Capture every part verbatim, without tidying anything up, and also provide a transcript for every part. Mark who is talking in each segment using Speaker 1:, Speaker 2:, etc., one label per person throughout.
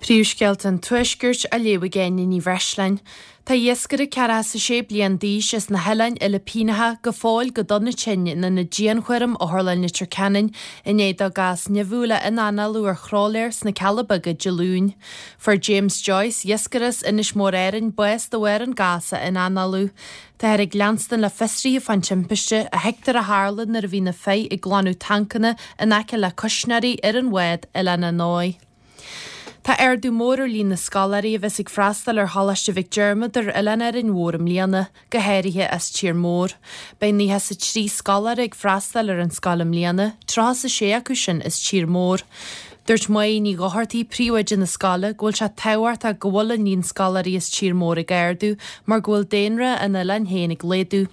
Speaker 1: Príomhscéalta an Tuaiscirt á léamh ag Áine Ní Bhreisleáin. Tá iascaire ceathracha is a sé bliain d'aois as na hOileáin Fhilipíneacha go fóill go dona tinn in ionad dianchúraim Otharlann Leitir Ceanainn i ndiaidh dó gás nimhiúil a ionanálú ar thrólaer sna Cealla Beaga Dé Luain. Fuair James Joyce, iascaire as Inis Mór Árainn, bás de bharr an gás a ionanálú. Táthar ag leanstan le fiosruithe fán timpiste a thuigtear a tharla nuair a bhí na fir ag glanadh tancanna in aice le cuisneoirí ar an bhád Oileán an Fheoir. Tá ardú mór ar líon na scoláirí a bheas ag freastal ar Choláiste Mhic Diarmada ar Oileán Árainn Mhór i mbliana, go háirithe as tír mór. Beidh nócha is a trí scoláire ag freastal ar an scoil i mbliana, tríocha is a sé acu sin as tír mór. Dúirt Máire Ní Dhochartaigh príomhoide na scoile go bhfuil sé tábhachtach go bhfuil an líon scoláirí as tír mór ag ardú mar go bhfuil daonra an oileáin féin ag laghdú.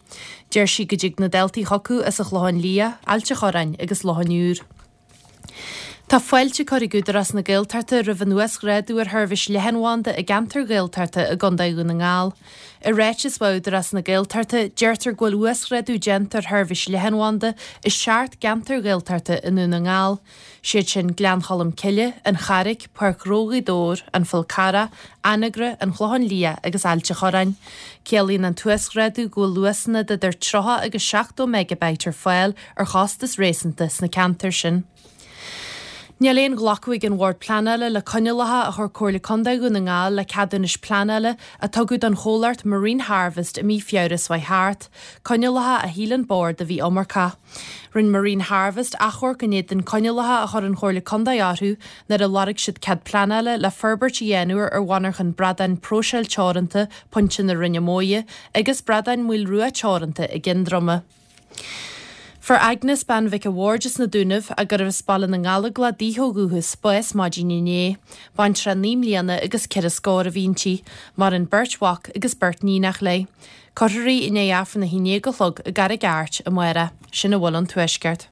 Speaker 1: Deir sí go dtig na daltaí chucu as an Chlochán Liath, Ailt an Chorráin agus Loch an Iúir. Tá fáilte curtha ag Údarás na Gaeltachta roimh an uasghrádú ar sheirbhís leathanbhanda i gceantar Ghaeltachta i gContae Dhún na nGall. I ráiteas ó Údarás na Gaeltachta deirtear go bhfuil uasghrádú déanta ar sheirbhís leathanbhanda i seacht gceantar Ghaeltachta i nDún na nGall. Siad sin Gleann Cholm Cille, an Charraig, Páirc Ghnó Ghaoth Dobhair, an Fál Carrach, Anagaire, an Chlochán Liath agus Ailt an Chorráin. Ciallaíonn an t-uasghrádú go bhfuil luasanna d'idir tríocha agus seachtó megabyte ar fáil ar chostas réasúnta sna ceantair sin. Níl aon ghlacadh ag an Bhord Pleanála le coinníollacha a chuir Comhairle Contae Dhún na nGall le ceadúnais pleanála a tugadh don chomhlacht Marine Harvest i mí Feabhra seo thart, coinníollacha a shíl an Bord a bhí iomarcach. Rinne Marine Harvest achomharc in éadan coinníollacha a chuir an Chomhairle Contae orthu nuair a lorg siad cead pleanála le forbairt a dhéanamh ar mhonarchan bradáin próiseáil teoranta Pointe na Rinne Móire agus bradáin Maoil Rua teoranta i gCinn Droma. Fuair Agnes bean Mhic a' Bhaird as na Dúnaibh a gurbh as Baile na nGallóglach daoithe ó dhúchas bás maidin inné. Baintreach naoi mbliana agus ceithre scór a bhí inti, maireann beirt mhac agus beirt níonach léi. Cuirfear í i ndiaidh Aifreann a haon déag a chlog i gCarraig Airt amárach, sin a bhfuil ón Tuaisceart.